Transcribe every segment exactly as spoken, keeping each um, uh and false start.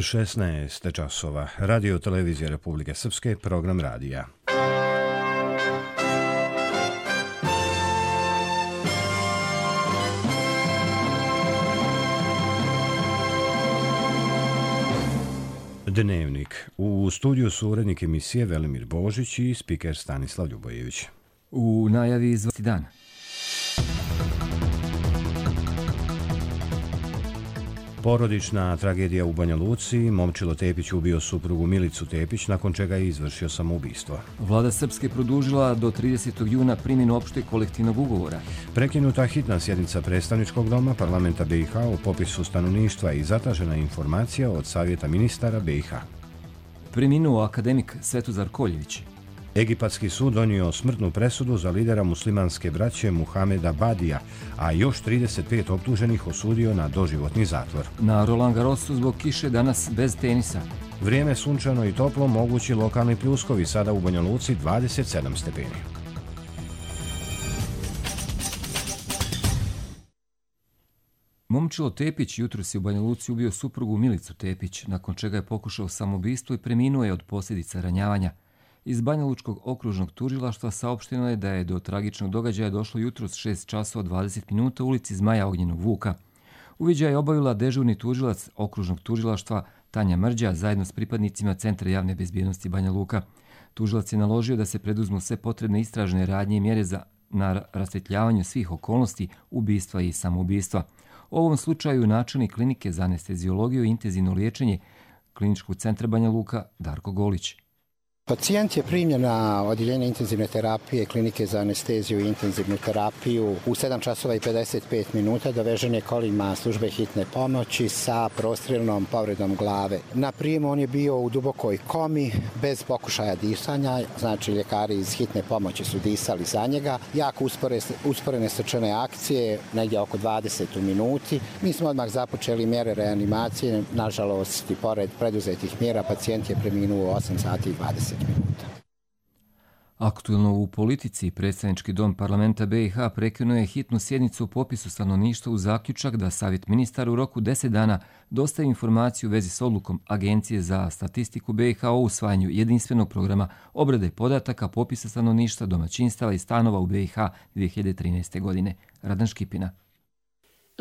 šesnaest časova. Radio televizija Republike Srpske, program radija. Dnevnik. U studiju su urednik emisije Velimir Božić i spiker Stanislav Ljubojević. U najavi izvesti dan. Porodična tragedija u Banja Luci. Momčilo Tepić ubio suprugu Milicu Tepić, nakon čega je izvršio samoubistvo. Vlada Srpske produžila do tridesetog juna primjenu opšteg kolektivnog ugovora. Prekinuta hitna sjednica predstavničkog doma parlamenta B i H o popisu stanovništva i zatražena informacija od Savjeta ministara B i H. Preminuo akademik Svetozar Koljević. Egipatski sud donio smrtnu presudu za lidera muslimanske braće Muhameda Badija, a još trideset pet optuženih osudio na doživotni zatvor. Na Roland Garrosu zbog kiše danas bez tenisa. Vrijeme sunčano i toplo, mogući lokalni pljuskovi, sada u Banja Luci dvadeset sedam stepeni. Momčilo Tepić jutros je u Banja Luci ubio suprugu Milicu Tepić, nakon čega je pokušao samoubistvo i preminuo je od posljedica ranjavanja. Iz Banja Lučkog okružnog tužilaštva saopšteno je da je do tragičnog događaja došlo jutros šest časova dvadeset minuta u ulici Zmaja Ognjenog Vuka. Uviđaj je obavila dežurni tužilac okružnog tužilaštva Tanja Mrđa zajedno s pripadnicima Centra javne bezbjednosti Banja Luka. Tužilac je naložio da se preduzmu sve potrebne istražne radnje i mjere za na rasvjetljavanju svih okolnosti ubistva i samoubistva. U ovom slučaju načelnik klinike za anesteziologiju i intenzivno liječenje Kliničkog centra Banja Luka Darko Golić. Pacijent je primljen na odjeljenje intenzivne terapije klinike za anesteziju i intenzivnu terapiju u sedam časova i pedeset pet minuta. Dovežen je kolima službe hitne pomoći sa prostrilnom povredom glave. Na prijemu on je bio u dubokoj komi, bez pokušaja disanja, znači ljekari iz hitne pomoći su disali za njega. Jako uspore, usporene srčane akcije, negdje oko dvadeset u minuti. Mi smo odmah započeli mjere reanimacije, nažalost i pored preduzetih mjera pacijent je preminuo u osam sati i dvadeset minuta. Aktuelno u politici, predstavnički dom parlamenta B i H prekinuo je hitnu sjednicu o popisu stanovništva u zaključak da Savjet ministara u roku deset dana dostavi informaciju u vezi s odlukom Agencije za statistiku B i H o usvajanju jedinstvenog programa obrade podataka popisa stanovništva, domaćinstava i stanova u B i H dvije hiljade trinaeste. godine. Radan Škipina.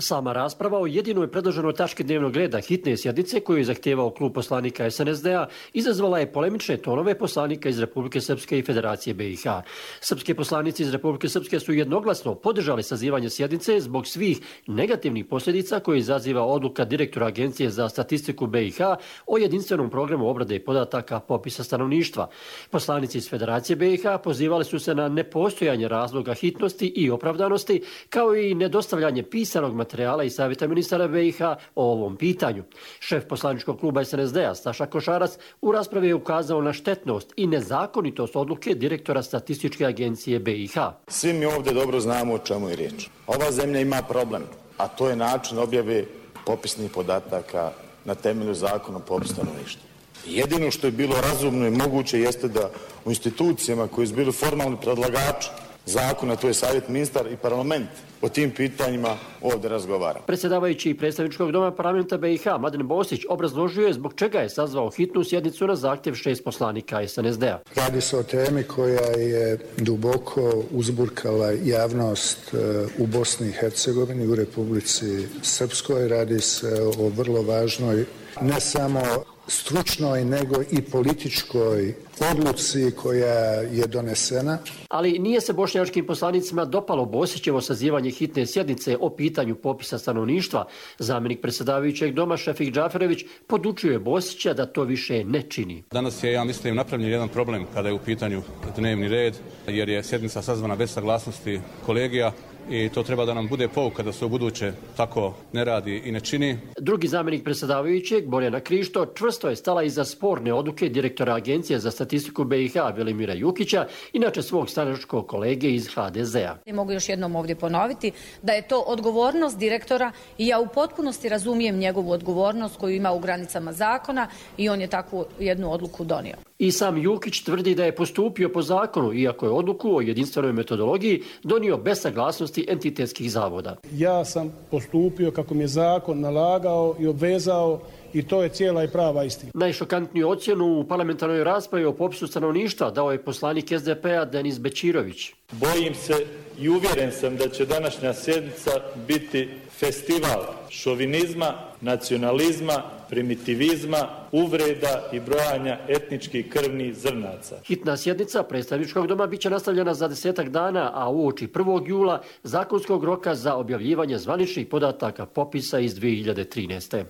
Sama rasprava o jedinoj predloženoj tački dnevnog reda hitne sjednice koju je zahtijevao klub poslanika S N S D-a izazvala je polemične tonove poslanika iz Republike Srpske i Federacije B i H. Srpski poslanici iz Republike Srpske su jednoglasno podržali sazivanje sjednice zbog svih negativnih posljedica koje izaziva odluka direktora Agencije za statistiku B i H o jedinstvenom programu obrade podataka popisa stanovništva. Poslanici iz Federacije B i H pozivali su se na nepostojanje razloga hitnosti i opravdanosti, kao i nedostavljanje pisanog materijala materijala i Savjeta ministara B i H o ovom pitanju. Šef poslaničkog kluba S N S D-a Staša Košarac u raspravi je ukazao na štetnost i nezakonitost odluke direktora Statističke agencije B i H. Svi mi ovdje dobro znamo o čemu je riječ. Ova zemlja ima problem, a to je način objave popisnih podataka na temelju zakona o popisu stanovništva. Jedino što je bilo razumno i moguće jeste da u institucijama koji su bili formalni predlagači zakona, to je Savjet ministar i parlament, o tim pitanjima ovdje razgovara. Predsjedavajući predstavničkog doma parlamenta B i H Mladen Bosić obrazložio je zbog čega je sazvao hitnu sjednicu na zahtjev šest poslanika S N S D-a. Radi se o temi koja je duboko uzburkala javnost u Bosni i Hercegovini, u Republici Srpskoj. Radi se o vrlo važnoj, ne samo stručnoj, nego i političkoj odluci koja je donesena. Ali nije se bošnjačkim poslanicima dopalo Bosićevo sazivanje hitne sjednice o pitanju popisa stanovništva. Zamjenik predsjedavajućeg doma Šefik Džaferević podučuje Bosića da to više ne čini. Danas je, ja mislim, napravljen jedan problem kada je u pitanju dnevni red, jer je sjednica sazvana bez saglasnosti kolegija. I to treba da nam bude pouka da se u buduće tako ne radi i ne čini. Drugi zamjenik predsjedavajućeg, Borjana Krišto, čvrsto je stala iza sporne odluke direktora Agencije za statistiku B i H Velimira Jukića, inače svog stranačkog kolege iz H D Z-a. Mogu još jednom ovdje ponoviti da je to odgovornost direktora i ja u potpunosti razumijem njegovu odgovornost koju ima u granicama zakona i on je takvu jednu odluku donio. I sam Jukić tvrdi da je postupio po zakonu, iako je odluku o jedinstvenoj metodologiji donio bez saglasnosti entitetskih zavoda. Ja sam postupio kako mi je zakon nalagao i obvezao i to je cijela i prava istina. Najšokantniju ocjenu u parlamentarnoj raspravi o popisu stanovništva dao je poslanik S D P-a Denis Bećirović. Bojim se i uvjeren sam da će današnja sjednica biti festival šovinizma, nacionalizma, primitivizma, uvreda i brojanja etničkih krvnih zrnaca. Hitna sjednica predstavničkog doma biće nastavljena za desetak dana, a uoči prvog jula zakonskog roka za objavljivanje zvaničnih podataka popisa iz dvije hiljade trinaeste.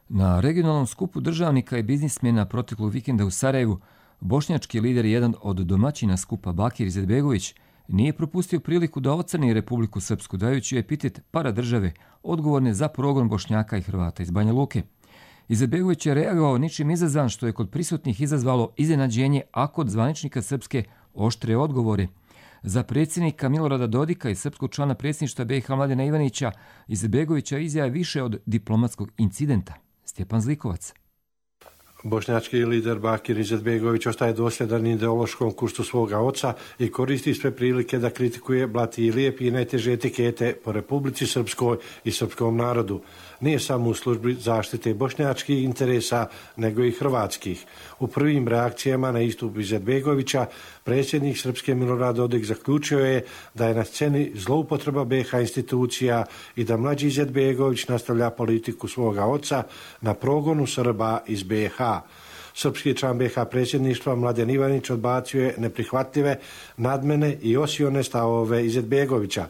Na regionalnom skupu državnika i biznismena proteklog vikenda u Sarajevu, bošnjački lider, jedan od domaćina skupa Bakir Izetbegović, nije propustio priliku da ocrni Republiku Srpsku, dajući epitet paradržave odgovorne za progon Bošnjaka i Hrvata iz Banja Luke. Izetbegović je reagovao ničim izazvan, što je kod prisutnih izazvalo iznenađenje, a kod zvaničnika Srpske oštre odgovore. Za predsjednika Milorada Dodika i srpskog člana predsjedništva B i H Mladena Ivanića, Izetbegovića izjava više od diplomatskog incidenta. Stjepan Zlikovac. Bošnjački lider Bakir Izetbegović ostaje dosljedan ideološkom kursu svoga oca i koristi sve prilike da kritikuje, blati i lijepi i najteže etikete po Republici Srpskoj i srpskom narodu. Nije samo u službi zaštite bošnjačkih interesa, nego i hrvatskih. U prvim reakcijama na istup Izetbegovića, predsjednik Srpske Milorad Dodik zaključio je da je na sceni zloupotreba B H institucija i da mlađi Izetbegović nastavlja politiku svoga oca na progonu Srba iz B H. Srpski član B H predsjedništva Mladen Ivanić odbacio je neprihvatljive, nadmene i osione stavove Izetbegovića.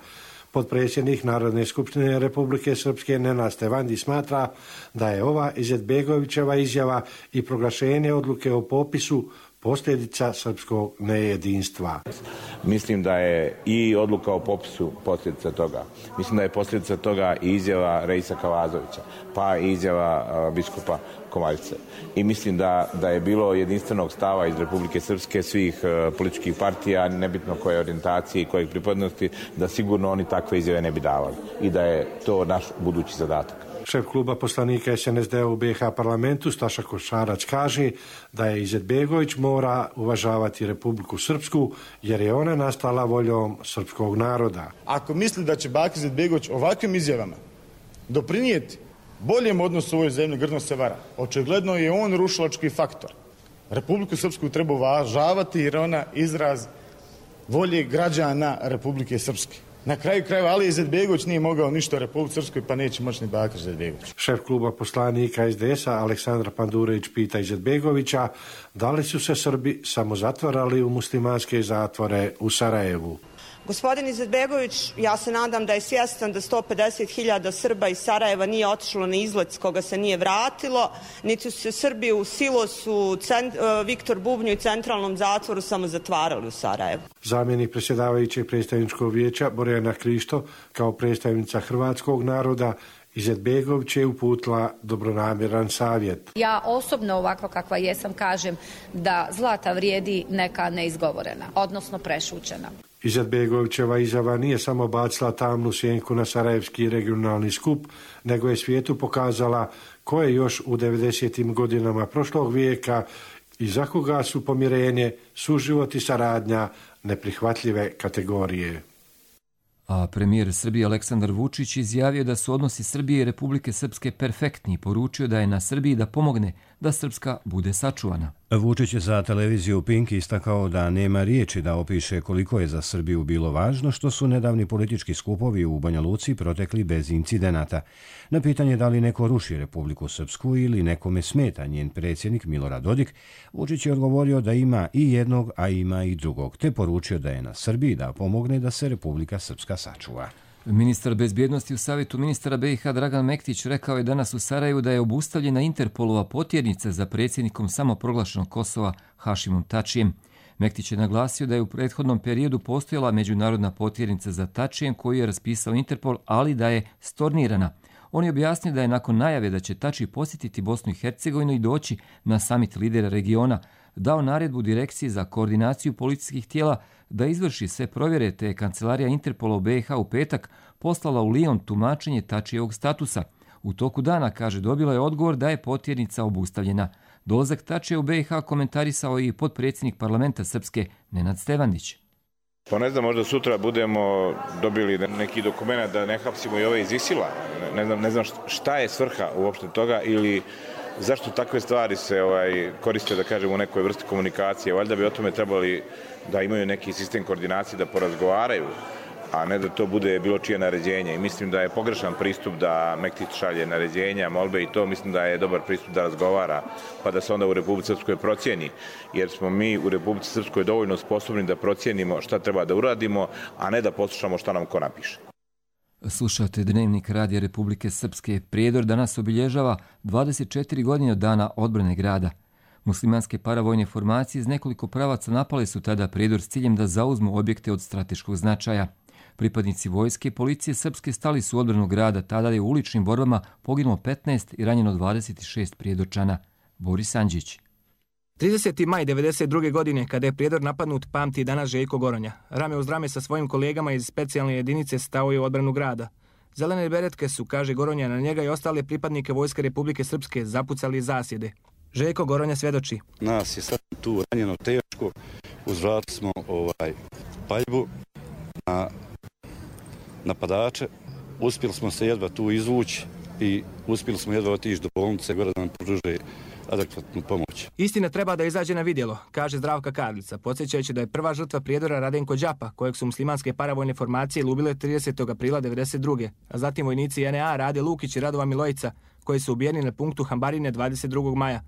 Potpredsjednik Narodne skupštine Republike Srpske Nenad Stevandi smatra da je ova Izetbegovićeva izjava i proglašenje odluke o popisu posljedica srpskog nejedinstva. Mislim da je i odluka o popisu posljedica toga. Mislim da je posljedica toga i izjava Reisa Kavazovića, pa i izjava biskupa Kovaljce. I mislim da, da je bilo jedinstvenog stava iz Republike Srpske, svih uh, političkih partija, nebitno koje orijentacije i kojeg pripadnosti, da sigurno oni takve izjave ne bi davali. I da je to naš budući zadatak. Šef kluba poslanika S N S D-a u B H parlamentu Staša Košarac kaže da je Izetbegović mora uvažavati Republiku Srpsku jer je ona nastala voljom srpskog naroda. Ako misli da će Bakir Izetbegović ovakvim izjavama doprinijeti boljem odnosu u ovoj zemlji, grdno se vara. Očigledno je on rušilački faktor. Republiku Srpsku treba uvažavati jer ona izraz volje građana Republike Srpske. Na kraju krajeva Ali Izetbegović nije mogao ništa u Republici Srpskoj, pa neće moći ni Bakir Izetbegović. Šef kluba poslanika S D S-a Aleksandar Pandurević pita Izetbegovića da li su se Srbi samo zatvarali u muslimanske zatvore u Sarajevu. Gospodin Izetbegović, ja se nadam da je svjestan da sto pedeset hiljada Srba iz Sarajeva nije otišlo na izlet s koga se nije vratilo, niti su se Srbi u Silosu, cent, Viktor Bubnju i centralnom zatvoru samo zatvarali u Sarajevu. Zamjenik predsjedavajućeg predstavničkog vijeća Borjana Krišto kao predstavnica hrvatskog naroda Izetbegović je uputila dobronamjeran savjet. Ja osobno ovako kakva jesam kažem da zlata vrijedi neka neizgovorena, odnosno prešućena. Izetbegovićeva izjava nije samo bacila tamnu sjenku na sarajevski regionalni skup, nego je svijetu pokazala ko je još u devedesetim godinama prošlog vijeka i za koga su pomirenje, suživot i saradnja neprihvatljive kategorije. A premijer Srbije Aleksandar Vučić izjavio da su odnosi Srbije i Republike Srpske perfektni i poručio da je na Srbiji da pomogne da Srpska bude sačuvana. Vučić je za televiziju Pink istakao da nema riječi da opiše koliko je za Srbiju bilo važno što su nedavni politički skupovi u Banja Luci protekli bez incidenata. Na pitanje da li neko ruši Republiku Srpsku ili nekome smeta njen predsjednik Milorad Dodik, Vučić je odgovorio da ima i jednog, a ima i drugog, te poručio da je na Srbiji da pomogne da se Republika Srpska sačuva. Ministar bezbjednosti u Savjetu ministara B i H Dragan Mektić rekao je danas u Sarajevu da je obustavljena Interpolova potjernica za predsjednikom samoproglašenog Kosova Hašimom Tačijem. Mektić je naglasio da je u prethodnom periodu postojala međunarodna potjernica za Tačijem koju je raspisao Interpol, ali da je stornirana. On je objasnio da je nakon najave da će Tačij posjetiti Bosnu i Hercegovinu i doći na samit lidera regiona, dao naredbu direkciji za koordinaciju policijskih tijela da izvrši sve provjere, te je kancelarija Interpola u B i H u petak poslala u Lijon tumačenje Tačijevog statusa. U toku dana, kaže, dobila je odgovor da je potjernica obustavljena. Dolazak Tačija u B i H komentarisao i potpredsjednik parlamenta Srpske Nenad Stevandić. Pa ne znam, možda sutra budemo dobili neki dokument da ne hapsimo i ove iz Isila. Ne znam, ne znam šta je svrha uopšte toga ili zašto takve stvari se ovaj, koriste, da kažem, u nekoj vrsti komunikacije. Valjda bi o tome trebali da imaju neki sistem koordinacije, da porazgovaraju, a ne da to bude bilo čije naređenje. I mislim da je pogrešan pristup da Mektić šalje naređenja, molbe i to. Mislim da je dobar pristup da razgovara, pa da se onda u Republici Srpskoj procijeni. Jer smo mi u Republici Srpskoj dovoljno sposobni da procijenimo šta treba da uradimo, a ne da poslušamo šta nam ko napiše. Slušate Dnevnik Radija Republike Srpske. Prijedor danas obilježava dvadeset četiri godine od dana odbrane grada. Muslimanske paravojne formacije iz nekoliko pravaca napale su tada Prijedor s ciljem da zauzmu objekte od strateškog značaja. Pripadnici vojske i policije srpske stali su u odbranu grada, tada je u uličnim borbama poginulo petnaest i ranjeno dvadeset šest prijedorčana. Boris Andžić. trideseti maj devedeset druge. godine, kada je Prijedor napadnut, pamti danas Željko Goronja. Rame uz rame sa svojim kolegama iz specijalne jedinice stao je u odbranu grada. Zelene beretke su, kaže Goronja, na njega i ostale pripadnike Vojske Republike Srpske zapucali zasjede. Željko Goronja svjedoči. Nas je sad tu ranjeno teško, uzvratili smo ovaj paljbu na napadače, uspjeli smo se jedva tu izvući i uspjeli smo jedva otići do bolnice gore da nam pruže adekvatnu pomoć. Istina treba da izađe na vidjelo, kaže Zdravka Karlica, podsjećajući da je prva žrtva Prijedora Radenko Đapa, kojeg su muslimanske paravojne formacije lubile tridesetog aprila devedeset druge. a zatim vojnici N E A Rade Lukić i Radova Milojica, koji su ubijeni na punktu Hambarine dvadeset drugog maja.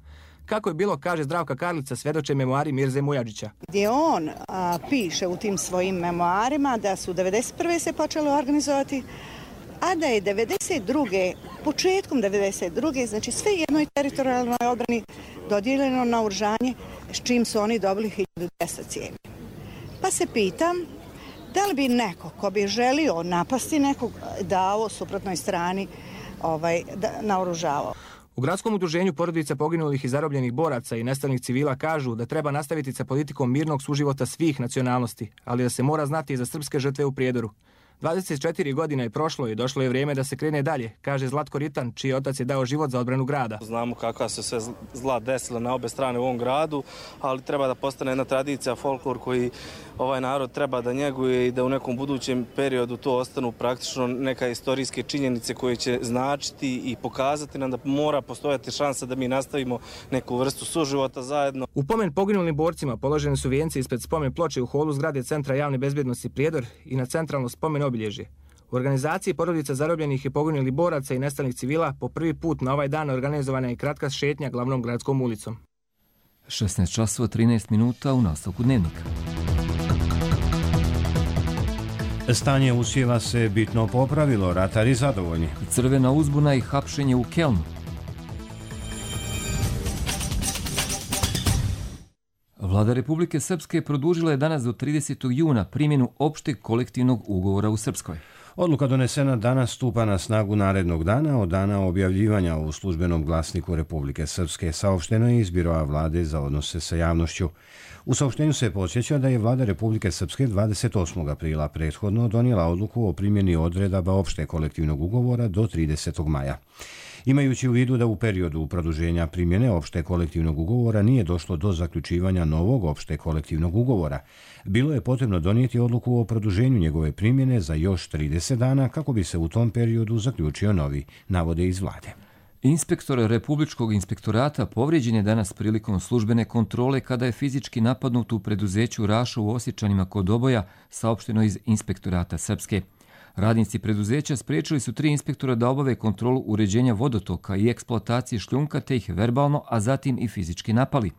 Kako je bilo, kaže Zdravka Karlica, svjedoče memoari Mirze Mujadžića. Gdje on a, piše u tim svojim memoarima da su devedeset prve se počelo organizovati, a da je devedeset druge početkom devedeset druge znači sve jednoj teritorijalnoj odbrani dodijeljeno naoružanje, s čim su oni dobili hiljadu dvjesto cijevi. Pa se pitam, da li bi neko ko bi želio napasti nekog dao suprotnoj strani ovaj, da, naoružavao. U gradskom udruženju porodica poginulih i zarobljenih boraca i nestalih civila kažu da treba nastaviti sa politikom mirnog suživota svih nacionalnosti, ali da se mora znati i za srpske žrtve u Prijedoru. dvadeset četiri godine je prošlo i došlo je vrijeme da se krene dalje, kaže Zlatko Ritan, čiji otac je dao život za odbranu grada. Znamo kakva se sve zla desila na obe strane u ovom gradu, ali treba da postane jedna tradicija, folklor koji ovaj narod treba da njeguje i da u nekom budućem periodu to ostanu praktično neka istorijske činjenice koje će značiti i pokazati nam da mora postojati šansa da mi nastavimo neku vrstu suživota zajedno. U pomen poginulim borcima položene su vijenci ispred spomen ploče u holu zgrade Centra javne bezbjednosti Prijedor i na centralno spomen obilježje. U organizaciji porodica zarobljenih i poginulih boraca i nestalih civila po prvi put na ovaj dan organizovana je kratka šetnja glavnom gradskom ulicom. šesnaest časova trinaest minuta u nastavku Dnevnika. Stanje usjeva se bitno popravilo, ratari zadovoljni. Crvena uzbuna i hapšenje u Kelnu. Vlada Republike Srpske produžila je danas do tridesetog juna primjenu opšteg kolektivnog ugovora u Srpskoj. Odluka donesena danas stupa na snagu narednog dana od dana objavljivanja u službenom glasniku Republike Srpske, saopšteno je iz Biroa vlade za odnose sa javnošću. U saopštenju se podsjeća da je vlada Republike Srpske dvadeset osmog aprila prethodno donijela odluku o primjeni odredaba opšte kolektivnog ugovora do tridesetog maja. Imajući u vidu da u periodu produženja primjene opšte kolektivnog ugovora nije došlo do zaključivanja novog opšte kolektivnog ugovora, bilo je potrebno donijeti odluku o produženju njegove primjene za još trideset dana kako bi se u tom periodu zaključio novi, navode iz vlade. Inspektor Republičkog inspektorata povrijeđen je danas prilikom službene kontrole kada je fizički napadnut u preduzeću Raša u Osječanima kod Oboja, saopšteno iz Inspektorata Srpske. Radnici preduzeća spriječili su tri inspektora da obave kontrolu uređenja vodotoka i eksploatacije šljunka te ih verbalno, a zatim i fizički napali.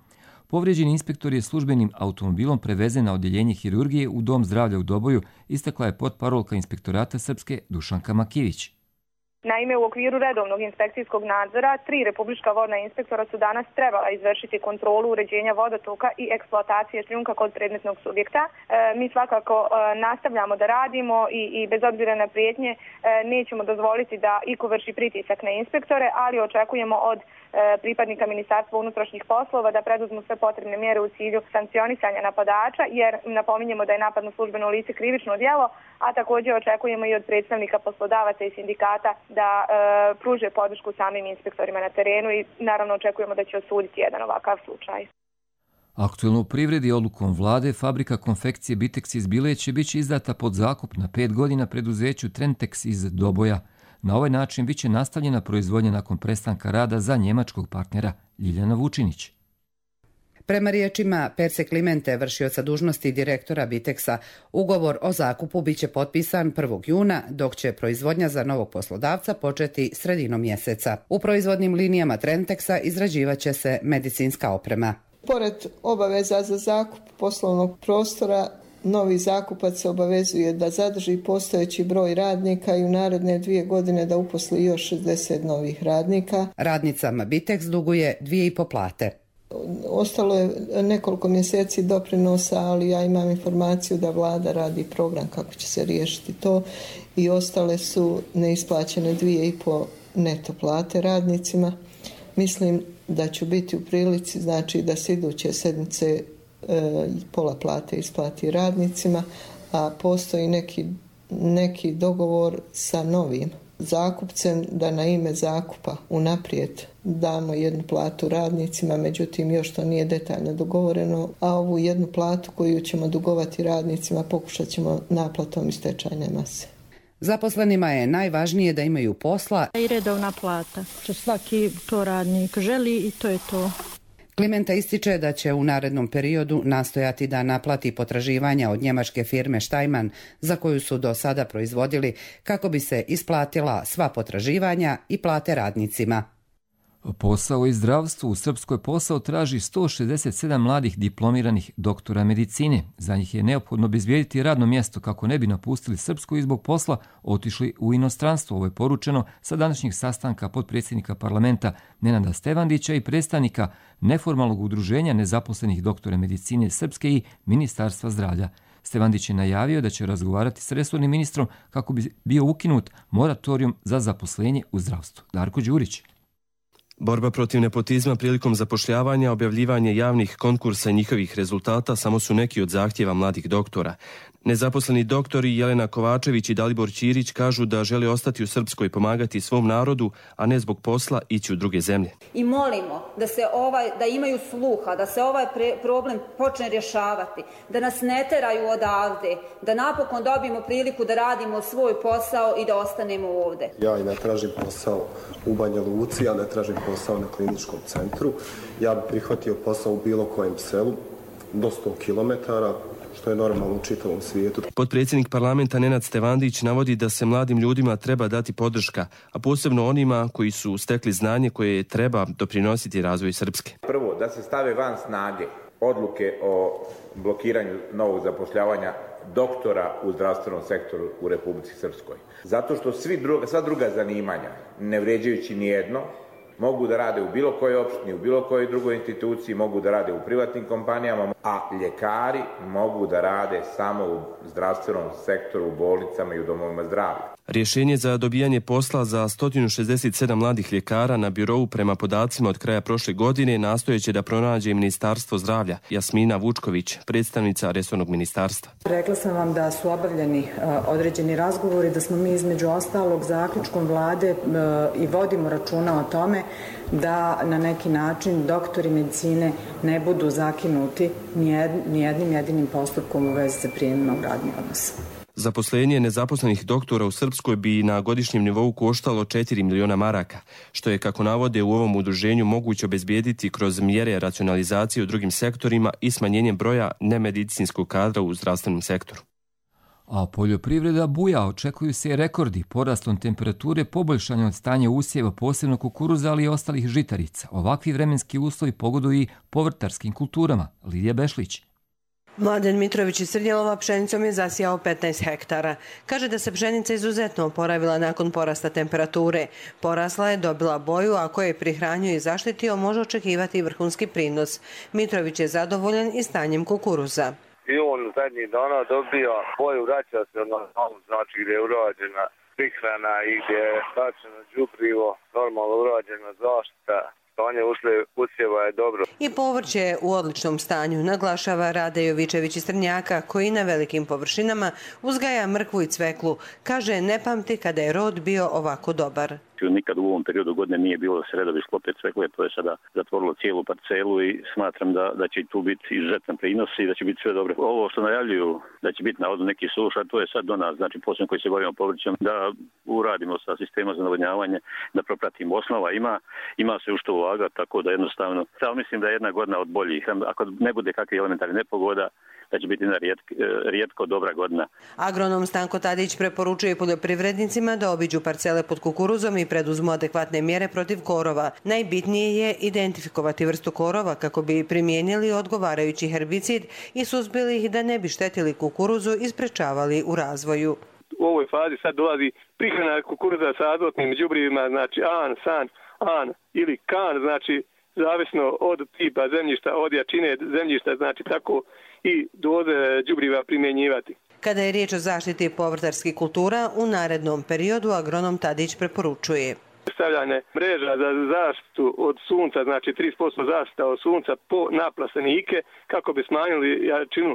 Povrijeđeni inspektor je službenim automobilom prevezen na odjeljenje hirurgije u Dom zdravlja u Doboju, istakla je potparolka Inspektorata Srpske Dušanka Makivić. Naime, u okviru redovnog inspekcijskog nadzora, tri republička vodna inspektora su danas trebala izvršiti kontrolu uređenja vodotoka i eksploatacije šljunka kod predmetnog subjekta. E, mi svakako e, nastavljamo da radimo i, i bez obzira na prijetnje e, nećemo dozvoliti da iko vrši pritisak na inspektore, ali očekujemo od e, pripadnika Ministarstva unutrašnjih poslova da preduzmu sve potrebne mjere u cilju sankcionisanja napadača, jer napominjemo da je napad na službeno lice krivično djelo, a također očekujemo i od predstavnika poslodavaca i sindikata da e, pruže podršku samim inspektorima na terenu i naravno očekujemo da će osuditi jedan ovakav slučaj. Aktuelno u privredi odlukom vlade fabrika konfekcije Bitex iz Bile će biti izdata pod zakup na pet godina preduzeću Trentex iz Doboja. Na ovaj način biće nastavljena proizvodnja nakon prestanka rada za njemačkog partnera Ljiljana Vučinić. Prema riječima Perse Klimente, vršioca dužnosti direktora Bitexa, ugovor o zakupu biće potpisan prvog juna, dok će proizvodnja za novog poslodavca početi sredinom mjeseca. U proizvodnim linijama Trentexa izrađivaće se medicinska oprema. Pored obaveza za zakup poslovnog prostora, novi zakupac se obavezuje da zadrži postojeći broj radnika i u naredne dvije godine da uposli još šezdeset novih radnika. Radnicama Bitex duguje dvije i po plate. Ostalo je nekoliko mjeseci doprinosa, ali ja imam informaciju da vlada radi program kako će se riješiti to i ostale su neisplaćene dvije i po neto plate radnicima. Mislim da ću biti u prilici, znači da se iduće sedmice e, pola plate isplati radnicima, a postoji neki, neki dogovor sa novim zakupcem da na ime zakupa unaprijed damo jednu platu radnicima, međutim još to nije detaljno dogovoreno, a ovu jednu platu koju ćemo dugovati radnicima pokušat ćemo naplatom iz stečajne mase. Zaposlenima je najvažnije da imaju posla i redovna plata, što svaki to radnik želi i to je to. Klimenta ističe da će u narednom periodu nastojati da naplati potraživanja od njemačke firme Steinmann za koju su do sada proizvodili kako bi se isplatila sva potraživanja i plate radnicima. Posao i zdravstvu u Srpskoj posao traži sto šezdeset sedam mladih diplomiranih doktora medicine. Za njih je neophodno obezbijediti radno mjesto kako ne bi napustili Srpsku i zbog posla otišli u inostranstvo. Ovo je poručeno sa današnjeg sastanka potpredsjednika parlamenta Nenada Stevandića i predstavnika neformalnog udruženja nezaposlenih doktora medicine Srpske i Ministarstva zdravlja. Stevandić je najavio da će razgovarati s resornim ministrom kako bi bio ukinut moratorijum za zaposlenje u zdravstvu. Darko Đurić. Borba protiv nepotizma prilikom zapošljavanja, objavljivanje javnih konkursa i njihovih rezultata samo su neki od zahtjeva mladih doktora. Nezaposleni doktori Jelena Kovačević i Dalibor Ćirić kažu da žele ostati u Srpskoj i pomagati svom narodu, a ne zbog posla ići u druge zemlje. I molimo da se ovaj, da imaju sluha, da se ovaj pre, problem počne rješavati, da nas ne teraju odavde, da napokon dobijemo priliku da radimo svoj posao i da ostanemo ovde. Ja i ne tražim posao u Banja Luci, ja ne tražim posao na kliničkom centru. Ja bih prihvatio posao u bilo kojem selu, do sto kilometara, što je normalno u čitavom svijetu. Potpredsjednik parlamenta Nenad Stevandić navodi da se mladim ljudima treba dati podrška, a posebno onima koji su stekli znanje koje treba doprinositi razvoju Srpske. Prvo, da se stave van snage odluke o blokiranju novog zapošljavanja doktora u zdravstvenom sektoru u Republici Srpskoj. Zato što svi druga, sva druga zanimanja, ne vređajući nijedno, mogu da rade u bilo kojoj opštini, u bilo kojoj drugoj instituciji, mogu da rade u privatnim kompanijama, a ljekari mogu da rade samo u zdravstvenom sektoru, u bolnicama i u domovima zdravlja. Rješenje za dobijanje posla za sto šezdeset sedam mladih ljekara na birovu prema podacima od kraja prošle godine nastojeće da pronađe Ministarstvo zdravlja. Jasmina Vučković, predstavnica resornog ministarstva. Rekla sam vam da su obavljeni uh, određeni razgovori, da smo mi između ostalog zaključkom vlade uh, i vodimo računa o tome da na neki način doktori medicine ne budu zakinuti nijednim jedinim postupkom u vezi sa prijemima u radni odnos. Zaposlenje nezaposlenih doktora u Srpskoj bi na godišnjem nivou koštalo četiri miliona maraka, što je, kako navode u ovom udruženju, moguće obezbijediti kroz mjere racionalizacije u drugim sektorima i smanjenjem broja nemedicinskog kadra u zdravstvenom sektoru. A poljoprivreda buja, očekuju se rekordi porastom temperature, poboljšanje od stanja usjeva, posebno kukuruza, ali i ostalih žitarica. Ovakvi vremenski uslovi pogoduju i povrtarskim kulturama. Lidija Bešlić. Mladen Mitrović iz Srdjelova pšenicom je zasijao petnaest hektara. Kaže da se pšenica izuzetno oporavila nakon porasta temperature. Porasla je, dobila boju, a koje je prihranio i zaštitio, može očekivati vrhunski prinos. Mitrović je zadovoljan i stanjem kukuruza. I on zadnjih dana dobija boju, vraća se na znači gdje je urađena prihrana i gdje je bačeno đubrivo, normalno urađena zaštita. stanje usjeva je dobro. I povrće je u odličnom stanju, naglašava Rade Jovičević iz Trnjaka, koji na velikim površinama uzgaja mrkvu i cveklu. Kaže, ne pamti kada je rod bio ovako dobar. Nikad u ovom periodu godine nije bilo da se redovi sklope cvekle, to je sada zatvorilo cijelu parcelu i smatram da, da će tu biti izuzetan prinos i da će biti sve dobro. Ovo što najavljuju da će biti navodno neki suša, to je sad do nas, znači posebno koji se bavimo povrćem, da uradimo sa sistema za navodnjavanje, da propratimo. Osnova ima, ima se u što ulagati, tako da jednostavno, samo mislim da je jedna godina od boljih. Ako ne bude kakve elementarne nepogoda, da će biti jedna rijetko, rijetko dobra godina. Agronom Stanko Tadić preporučuje poljoprivrednicima da obiđu parcele pod kukuruzom i preduzmu adekvatne mjere protiv korova. Najbitnije je identifikovati vrstu korova kako bi primijenili odgovarajući herbicid i suzbili ih da ne bi štetili kukuruzu i sprečavali u razvoju. U ovoj fazi sad dolazi prihrana kukuruza sa azotnim đubrivima, znači an, san, an ili kan, znači zavisno od tipa zemljišta, od jačine zemljišta, znači tako i doze đubriva primjenjivati. Kada je riječ o zaštiti povrtarskih kultura, u narednom periodu agronom Tadić preporučuje stavljanje mreža za zaštitu od sunca, znači trideset posto zaštita od sunca po naplastenike, kako bi smanjili jačinu,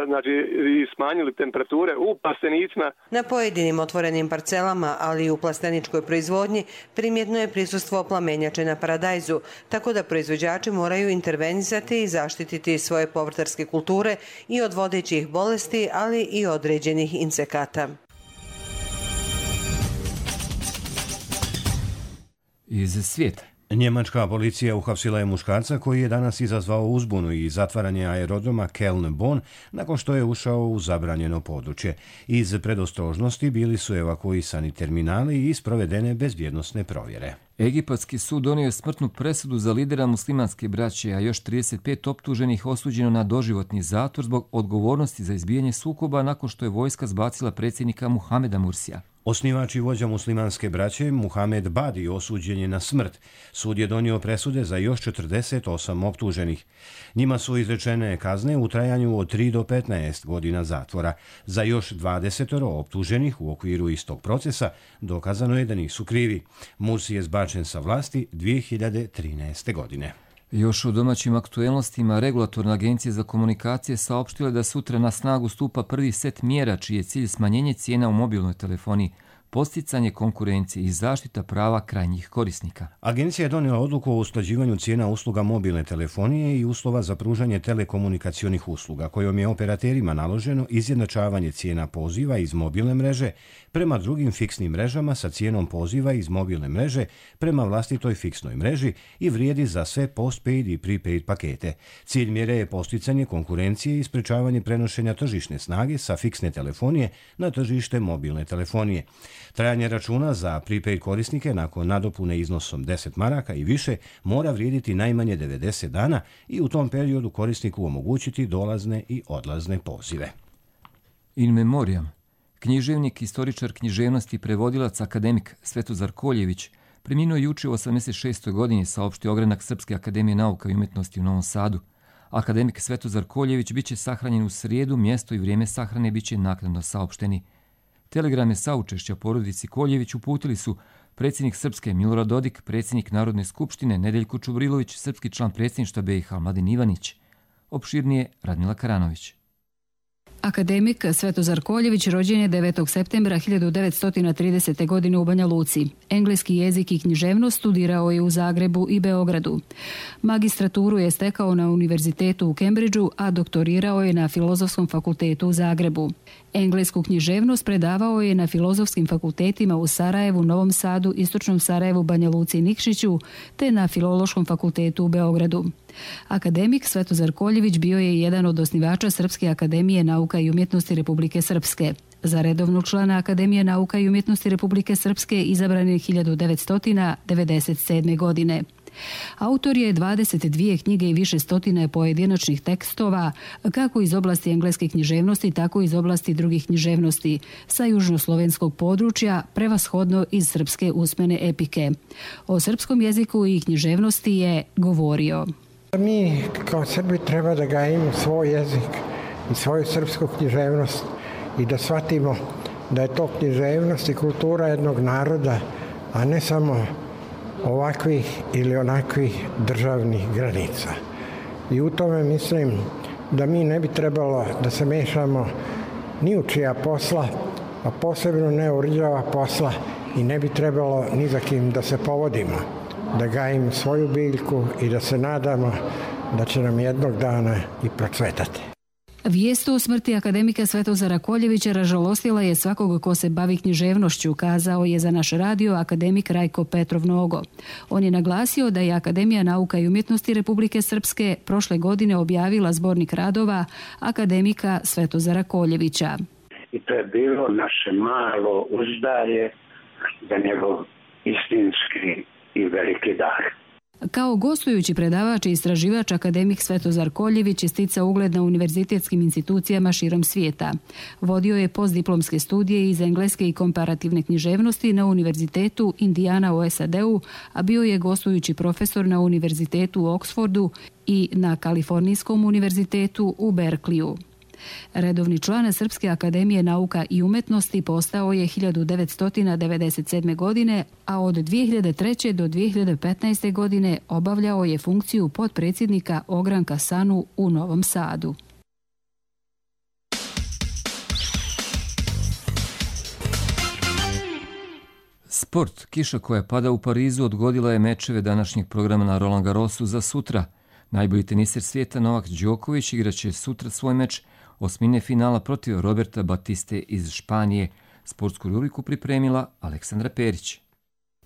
znači i smanjili temperature u plastenicima. Na pojedinim otvorenim parcelama, ali i u plasteničkoj proizvodnji, primjetno je prisustvo plamenjače na paradajzu, tako da proizvođači moraju intervenisati i zaštititi svoje povrtarske kulture i od vodećih bolesti, ali i određenih insekata. Iz svijeta. Njemačka policija uhapsila je muškarca koji je danas izazvao uzbunu i zatvaranje aerodroma Köln-Bonn nakon što je ušao u zabranjeno područje. Iz predostrožnosti bili su evakuisani terminali i sprovedene bezbjednosne provjere. Egipatski sud donio je smrtnu presudu za lidera muslimanske braće, a još trideset pet optuženih osuđeno na doživotni zatvor zbog odgovornosti za izbijanje sukoba nakon što je vojska zbacila predsjednika Muhameda Mursija. Osnivač i vođa muslimanske braće Muhamed Badi osuđen je na smrt. Sud je donio presude za još četrdeset osam optuženih. Njima su izrečene kazne u trajanju od tri do petnaest godina zatvora. Za još dvadeset optuženih u okviru istog procesa dokazano je da nisu krivi. Mursi je zbačen sa vlasti dvije hiljade trinaeste. godine. Još u domaćim aktuelnostima regulatorna agencija za komunikacije saopštila da sutra na snagu stupa prvi set mjera čiji je cilj smanjenje cijena u mobilnoj telefoniji, posticanje konkurencije i zaštita prava krajnjih korisnika. Agencija je donijela odluku o usklađivanju cijena usluga mobilne telefonije i uslova za pružanje telekomunikacionih usluga, kojom je operaterima naloženo izjednačavanje cijena poziva iz mobilne mreže prema drugim fiksnim mrežama sa cijenom poziva iz mobilne mreže prema vlastitoj fiksnoj mreži i vrijedi za sve postpaid i prepaid pakete. Cilj mjere je posticanje konkurencije i sprečavanje prenošenja tržišne snage sa fiksne telefonije na tržište mobilne telefonije. Trajanje računa za prepaid korisnike nakon nadopune iznosom deset maraka i više mora vrijediti najmanje devedeset dana i u tom periodu korisniku omogućiti dolazne i odlazne pozive. In memoriam. Književnik, istoričar književnosti i prevodilac akademik Svetozar Koljević preminuo juče u osamdeset šestoj. godini, saopštio ogranak Srpske akademije nauka i umjetnosti u Novom Sadu. Akademik Svetozar Koljević biće sahranjen u srijedu, mjesto i vrijeme sahrane biće naknadno saopšteni. Telegrame saučešća porodici Koljević uputili su predsjednik Srpske Milorad Dodik, predsjednik Narodne skupštine Nedeljko Čubrilović, srpski član predsjedništva B i H Mladen Ivanić. Opširnije Radmila Karanović. Akademik Svetozar Koljević rođen je devetog septembra hiljadu devetsto tridesete. godine u Banja Luci. Engleski jezik i književnost studirao je u Zagrebu i Beogradu. Magistraturu je stekao na Univerzitetu u Kembridžu, a doktorirao je na Filozofskom fakultetu u Zagrebu. Englesku književnost predavao je na filozofskim fakultetima u Sarajevu, Novom Sadu, Istočnom Sarajevu, Banja Luci i Nikšiću, te na Filološkom fakultetu u Beogradu. Akademik Svetozar Koljević bio je jedan od osnivača Srpske akademije nauka i umjetnosti Republike Srpske. Za redovnog člana Akademije nauka i umjetnosti Republike Srpske izabran je hiljadu devetsto devedeset sedme. godine. Autor je dvadeset dvije knjige i više stotine pojedinačnih tekstova, kako iz oblasti engleske književnosti, tako i iz oblasti drugih književnosti, sa južnoslovenskog područja, prevashodno iz srpske usmene epike. O srpskom jeziku i književnosti je govorio. Mi kao Srbi treba da gajimo svoj jezik i svoju srpsku književnost i da shvatimo da je to književnost i kultura jednog naroda, a ne samo ovakvih ili onakvih državnih granica. I u tome mislim da mi ne bi trebalo da se mešamo ni u čija posla, a posebno ne u rđava posla i ne bi trebalo ni za kim da se povodimo, da gajimo svoju biljku i da se nadamo da će nam jednog dana i procvetati. Vijest o smrti akademika Svetozara Koljevića ražalostila je svakog ko se bavi književnošću, kazao je za naš radio akademik Rajko Petrov Nogo. On je naglasio da je Akademija nauka i umjetnosti Republike Srpske prošle godine objavila zbornik radova akademika Svetozara Koljevića. I to je bilo naše malo uzdarje za njegov istinski i veliki dar. Kao gostujući predavač i istraživač akademik Svetozar Koljević je sticao ugled na univerzitetskim institucijama širom svijeta. Vodio je postdiplomske studije iz engleske i komparativne književnosti na Univerzitetu Indiana u S A D-u, a bio je gostujući profesor na Univerzitetu u Oksfordu i na Kalifornijskom univerzitetu u Berkliju. Redovni član Srpske akademije nauka i umjetnosti postao je hiljadu devetsto devedeset sedme. godine, a od dvije hiljade treće. do dvije hiljade petnaeste. godine obavljao je funkciju potpredsjednika ogranka SANU u Novom Sadu. Sport. Kiša koja pada u Parizu odgodila je mečeve današnjeg programa na Roland Garrosu za sutra. Najbolji teniser svijeta Novak Đoković igraće sutra svoj meč osmine finala protiv Roberta Batiste iz Španije. Sportsku rubriku pripremila Aleksandra Perić.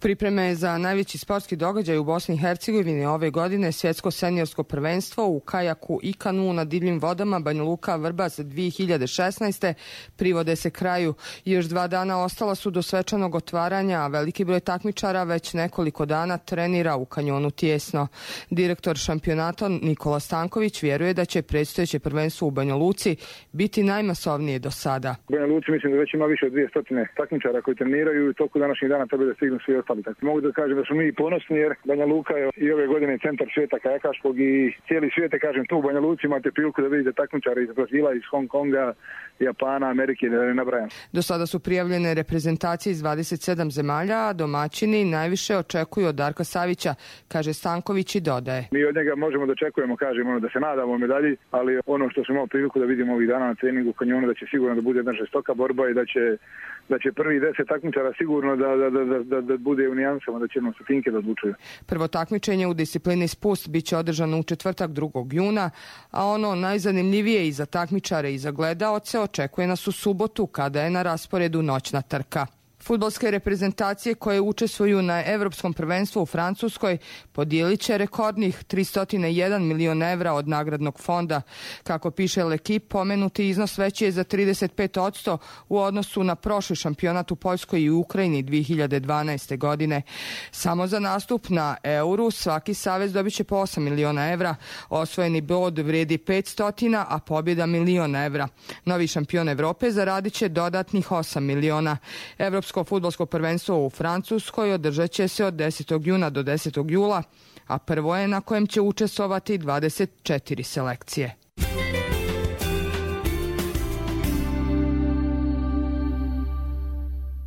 Pripreme za najveći sportski događaj u Bosni i Hercegovini ove godine svjetsko seniorsko prvenstvo u kajaku i kanu na divljim vodama Banja Luka Vrbas dvije hiljade šesnaeste. privode se kraju. Još dva dana ostala su do svečanog otvaranja, a veliki broj takmičara već nekoliko dana trenira u kanjonu Tijesno. Direktor šampionata Nikola Stanković vjeruje da će predstojeće prvenstvo u Banja Luci biti najmasovnije do sada. U Banja Luci mislim da već ima više od dvije stotine takmičara koji treniraju i u toku današnjih dana treba da stignu svi ostali. Mogu da kažem da smo mi ponosni jer Banja Luka je i ove godine centar svijeta kajakaškog i cijeli svijet, kažem, tu u Banja Luci imate priliku da vidite takmičare iz Brazila, iz Hong Konga, Japana, Amerike, da ne nabrajam. Do sada su prijavljene reprezentacije iz dvadeset sedam zemalja, a domaćini najviše očekuju od Darka Savića, kaže Stanković i dodaje. Mi od njega možemo da očekujemo, kažemo, da se nadamo medalji, ali ono što smo imali priliku da vidimo ovih dana na treningu u kanjonu, da će sigurno da bude jedna žestoka borba i da će da će prvi deset takmičara sigurno da, da, da, da, da bude u nijansama, da će jednom stotinke da odlučuju. Prvo takmičenje u disciplini spust biće održano u četvrtak drugog juna, a ono najzanimljivije i za takmičare i za gledaoce očekuje nas u subotu kada je na rasporedu noćna trka. Fudbalske reprezentacije koje učestvuju na Evropskom prvenstvu u Francuskoj podijelit će rekordnih tristo jedan milion evra od nagradnog fonda. Kako piše L'Equipe, pomenuti iznos veći je za trideset pet posto u odnosu na prošli šampionat u Poljskoj i Ukrajini dvije hiljade dvanaeste. godine. Samo za nastup na Euru svaki savez dobit će po osam miliona evra, osvojeni bod vrijedi petsto, a pobjeda milion evra. Novi šampion Evrope zaradit će dodatnih osam miliona. Evropsko fudbalsko prvenstvo u Francuskoj održat će se od desetog juna do desetog jula, a prvo je na kojem će učestvovati dvadeset četiri selekcije.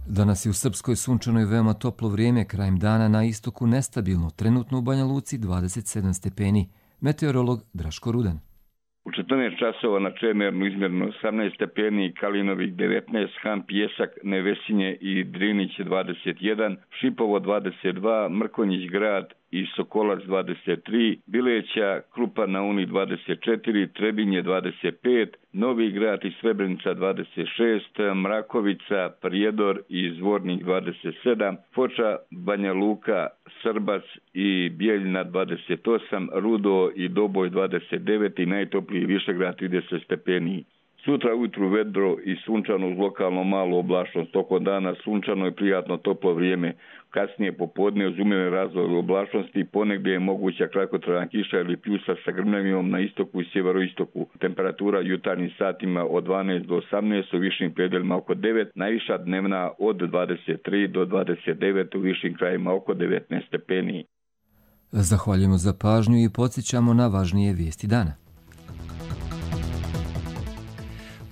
Danas je u Srpskoj sunčanoj veoma toplo vrijeme, krajem dana na istoku nestabilno, trenutno u Banja Luci dvadeset sedam stepeni. Meteorolog Draško Rudan. U četrnaest časova na Čemernu izmjerno osamnaest stepeni, Kalinovik devetnaest, Han Pjesak, Nevesinje i Drinić dvadeset jedan, Šipovo dvadeset dva, Mrkonjić grad i Sokolac dvadeset tri, Bileća, Krupa na Uni dvadeset četiri, Trebinje dvadeset pet, Novi grad i Srebrenica dvadeset šest, Mrakovica, Prijedor i Zvornik dvadeset sedam, Foča, Banja Luka, Srbac i Bijeljina dvadeset osam, Rudo i Doboj dvadeset devet i najtopliji Višegrad trideset stepeni. Sutra ujutru vedro i sunčano uz lokalno malu oblačnost. Tokom dana sunčano i prijatno toplo vrijeme. Kasnije popodne uz umjerene razvoje oblačnosti ponegdje je moguća kratkotrajna kiša ili pljusa sa grmljavijom na istoku i sjeveroistoku. Temperatura jutarnjim satima od dvanaest do osamnaest, u višim predjelima oko devet, najviša dnevna od dvadeset tri do dvadeset devet, u višim krajima oko devetnaest stepeni. Zahvaljujemo za pažnju i podsjećamo na važnije vijesti dana.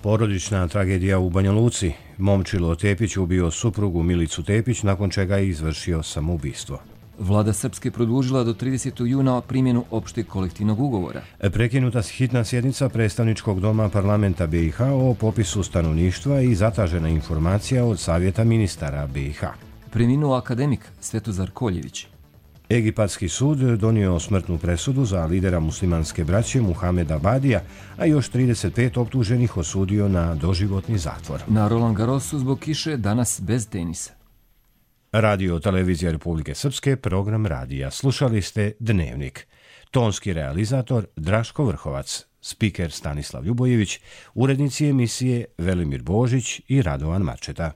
Porodična tragedija u Banja Luci. Momčilo Tepić ubio suprugu Milicu Tepić, nakon čega je izvršio samoubistvo. Vlada Srpske produžila do tridesetog juna primjenu opšteg kolektivnog ugovora. Prekinuta hitna sjednica predstavničkog doma parlamenta B i H o popisu stanovništva i zatažena informacija od Savjeta ministara B i H. Preminuo akademik Svetozar Koljević. Egipatski sud donio smrtnu presudu za lidera muslimanske braće Muhameda Badija, a još trideset pet optuženih osudio na doživotni zatvor. Na Roland Garrosu zbog kiše danas bez tenisa. Radio Televizija Republike Srpske, program radija. Slušali ste Dnevnik. Tonski realizator Draško Vrhovac, spiker Stanislav Ljubojević, urednici emisije Velimir Božić i Radovan Marčeta.